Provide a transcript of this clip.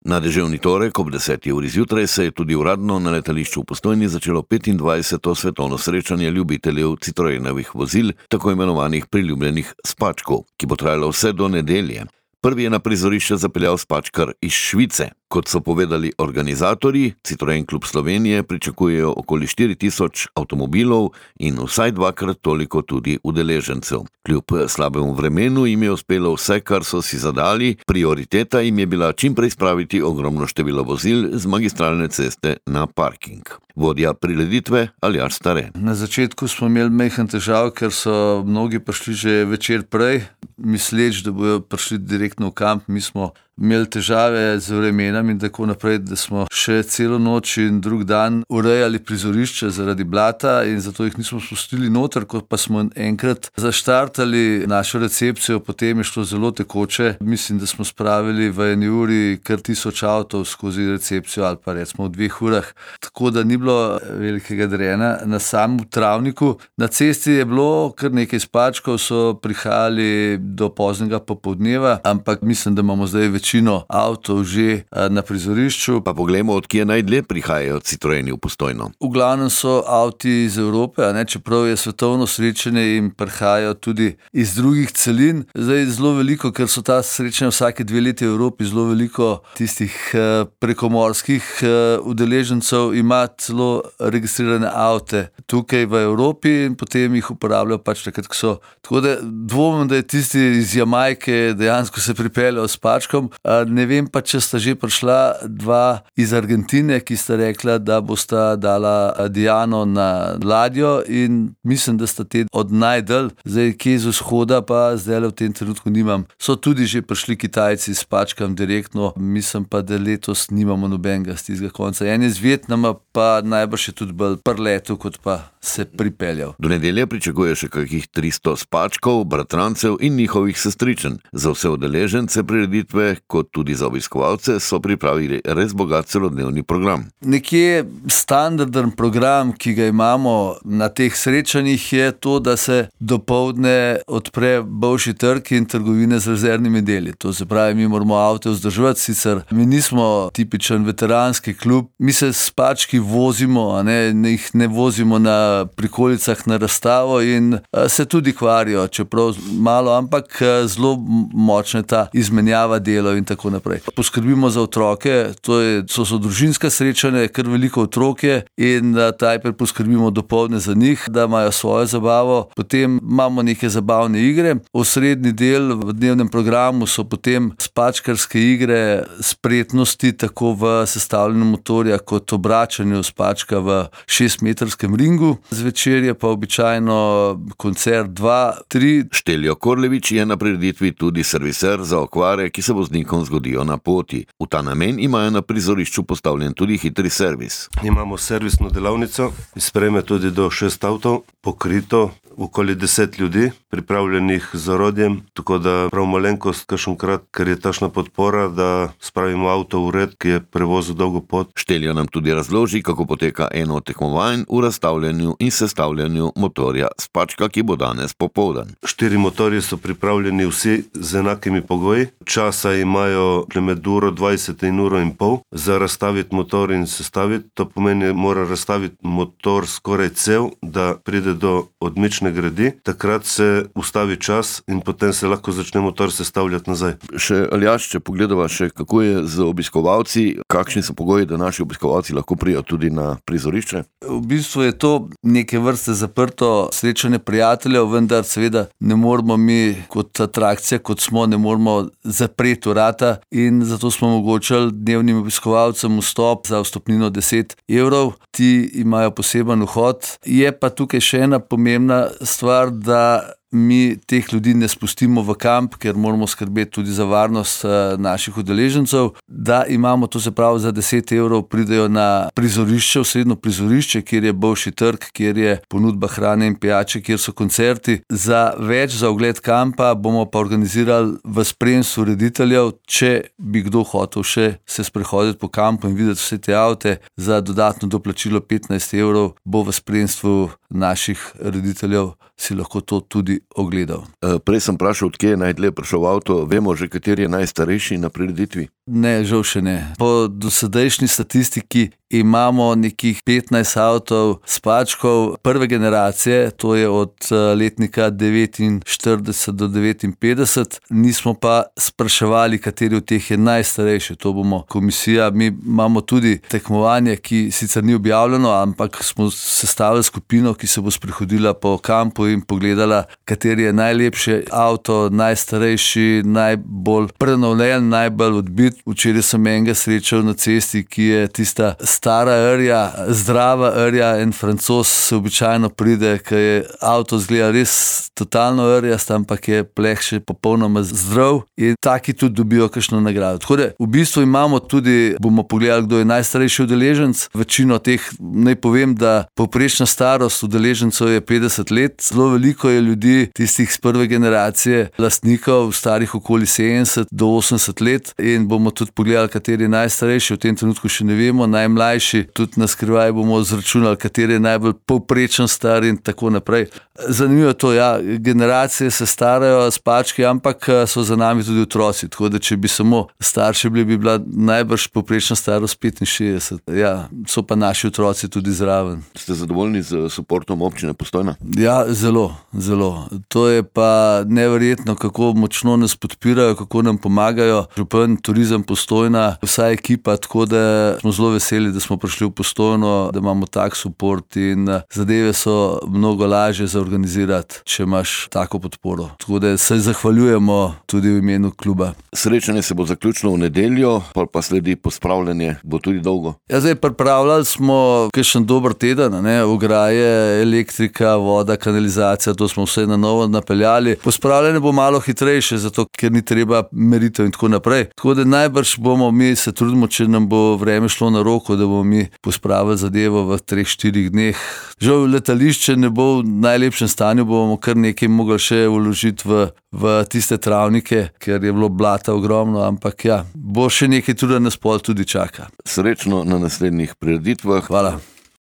Na deževni torek ob 10. uri zjutraj se je tudi uradno na letališču v Postojni začelo 25. svetovno srečanje ljubiteljev Citroenovih vozil, tako imenovanih priljubljenih spačkov, ki bo trajalo vse do nedelje. Prvi je na prizorišče zapeljal spačkar iz Švice. Kot so povedali organizatorji, Citroen Klub Slovenije pričakujejo okoli 4000 avtomobilov in vsaj dvakrat toliko tudi udeležencev. Kljub slabemu vremenu jim je uspelo vse, kar so si zadali, prioriteta jim je bila čim prej spraviti ogromno število vozil z magistralne ceste na parking. Vodja prireditve Aljaž Stare. Na začetku smo imeli majhen težav, ker so mnogi prišli že večer prej, misleč, da bodo prišli direktno v kamp. Mi smo imeli težave z vremenom in tako naprej, da smo še celo noč in drug dan urejali prizorišče zaradi blata in zato jih nismo spustili noter. Ko pa smo enkrat zaštartali našo recepcijo, potem je šlo zelo tekoče. Mislim, da smo spravili v 1 uri kar 1000 avtov skozi recepcijo ali pa recimo v 2 urah. Tako da ni bilo velikega drena na samem travniku. Na cesti je bilo kar nekaj spačkov, so prihajali do poznega popoldneva, ampak mislim, da imamo zdaj večino avtov že na prizorišču. Pa poglejmo, od kje najdlje prihajajo Citroeni v Postojno. V glavnem so avti iz Evrope, čeprav je svetovno srečanje in prihajajo tudi iz drugih celin. Zdaj zelo veliko, ker so ta srečanja vsake 2 leti v Evropi, zelo veliko tistih prekomorskih udeležencev ima celo registrirane avte tukaj v Evropi in potem jih uporabljajo pač takrat, ko so. Tako da dvomim, da je tisti iz Jamajke dejansko se pripeljal s spačkom. Ne vem pa, če sta že prišla 2 iz Argentine, ki sta rekla, da bosta dala Diano na ladjo in mislim, da sta te od najdalj. Zdaj, kje z vzhoda pa zdaj v tem trenutku nimam. So tudi že prišli Kitajci s spačkom direktno, mislim pa, da letos nimamo nobenega z tistega konca. En iz Vietnama pa najbrž je tudi bolj prletel, kot pa se pripeljal. Do nedelje pričakuje še kakih 300 spačkov, bratrancev in njihovih sestričen. Za vse udeležence prireditve, kot tudi za obiskovalce, so pripravili res bogat celodnevni program. Nekje standarden program, ki ga imamo na teh srečanjih, je to, da se dopoldne odpre Bolšji trg in trgovine z rezervnimi deli. To se pravi, mi moramo avte vzdrževati, sicer mi nismo tipičen veteranski klub, mi se spački vozimo, jih ne vozimo na prikolicah na razstavo in se tudi kvarijo, čeprav malo, ampak zelo močna ta izmenjava delov in tako naprej. Poskrbimo za otroke, to so družinska srečanja, kar veliko otrok je in najprej poskrbimo dopoldne za njih, da imajo svojo zabavo, potem imamo neke zabavne igre. Osrednji del v dnevnem programu so potem spačkarske igre spretnosti, tako v sestavljanju motorja kot obračanju spačka v 6-metrskem ringu. Zvečer je pa običajno koncert 2-3. Šteljo Korlevič je na prireditvi tudi serviser za okvare, ki se voznikom zgodijo na poti. V ta namen imajo na prizorišču postavljen tudi hitri servis. Imamo servisno delavnico, sprejme tudi do 6 avtov, pokrito okoli 10 ljudi, pripravljenih z orodjem, tako da prav malenkost, kakšenkrat, ker je takšna podpora, da spravimo avto v red, ki je prevozil dolgo pot. Šteljo nam tudi razloži, kako poteka eno od tekmovanj v razstavljanju in sestavljanju motorja spačka, ki bo danes popoldan. 4 motorji so pripravljeni vsi z enakimi pogoji. Časa imajo med 1:20 in 1:30 za razstaviti motor in sestaviti. To pomeni, mora razstaviti motor skoraj cel, da pride do odmične gredi. Takrat se ustavi čas in potem se lahko začne motor sestavljati nazaj. Še Aljaž, če pogledava še, kako je z obiskovalci, kakšni so pogoji, da naši obiskovalci lahko prijo tudi na prizorišče? V bistvu je to neke vrste zaprto srečanje prijateljev, vendar seveda ne moramo mi kot atrakcija, kot smo, ne moramo zapreti vrata in zato smo omogočili dnevnim obiskovalcem vstop za vstopnino 10 €. Ti imajo poseben vhod. Je pa tukaj še ena pomembna stvar, da mi teh ljudi ne spustimo v kamp, ker moramo skrbeti tudi za varnost naših udeležencev, da imamo, to se pravi, za 10 € pridejo na prizorišče, osrednjo prizorišče, kjer je Bolšji trg, kjer je ponudba hrane in pijače, kjer so koncerti. Za ogled kampa bomo pa organizirali v spremstvu rediteljev, če bi kdo hotel še se sprehoditi po kampu in videti vse te avte, za dodatno doplačilo 15 € bo v spremstvu naših rediteljev si lahko to tudi ogledal. Prej sem vprašal, odkje je najdlje prišel avto, vemo že, kateri je najstarejši na prireditvi? Ne, žal še ne. Po dosedajšnji statistiki imamo nekih 15 avtov spačkov prve generacije, to je od letnika 49 do 59. Nismo pa spraševali, kateri od teh je najstarejši. To bomo komisija, mi imamo tudi tekmovanje, ki sicer ni objavljeno, ampak smo sestavili skupino, ki se bo sprehodila po kampu in pogledala, kateri je najlepši avto, najstarejši, najbolj prenovljen, najbolj odbit. Včeraj sem enega srečal na cesti, ki je tista stara rja, zdrava rja, en Francoz se običajno pride, ker je avto zgleda res totalno rjast, ampak je pleh še popolnoma zdrav in taki tudi dobijo kakšno nagrado. Tako da v bistvu imamo tudi, bomo pogledali, kdo je najstarejši udeleženec. Večino teh, naj povem, da povprečna starost udeležencev je 50 let. Zelo veliko je ljudi, tistih z prve generacije, lastnikov, starih okoli 70 do 80 let in bomo tudi pogledali, kateri je najstarejši, v tem trenutku še ne vemo, najmlajši, tudi na skrivaj bomo zračunali, kateri je najbolj povprečen star in tako naprej. Zanimivo je to, ja, generacije se starajo spački, ampak so za nami tudi otroci, tako da če bi samo starši bili, bi bila najbrž povprečna starost 65. Ja, so pa naši otroci tudi zraven. Ste zadovoljni z suportom občine Postojna? Ja, zelo, zelo. To je pa neverjetno, kako močno nas podpirajo, kako nam pomagajo. Župan, Turizem Postojna, vsa ekipa, tako da smo zelo veseli, da smo prišli v Postojno, da imamo tak suport in zadeve so mnogo lažje za organizirati, če imaš tako podporo. Tako da se zahvaljujemo tudi v imenu kluba. Srečanje se bo zaključilo v nedeljo, pa sledi pospravljanje, bo tudi dolgo. Ja, zdaj pripravljali smo kakšen dober teden, ograje, elektrika, voda, kanalizacija, to smo vse na novo napeljali. Pospravljanje bo malo hitrejše, zato ker ni treba meritev in tako naprej. Tako da najbrž bomo mi se trudimo, če nam bo vreme šlo na roko, da bomo mi pospravili zadevo v 3-4 dneh. Žal letališče ne bo v najlepšem stanju, bomo kar nekaj mogli še vložiti v tiste travnike, ker je bilo blata ogromno, ampak ja, bo še nekaj tudi nas pol tudi čaka. Srečno na naslednjih prireditvah. Hvala.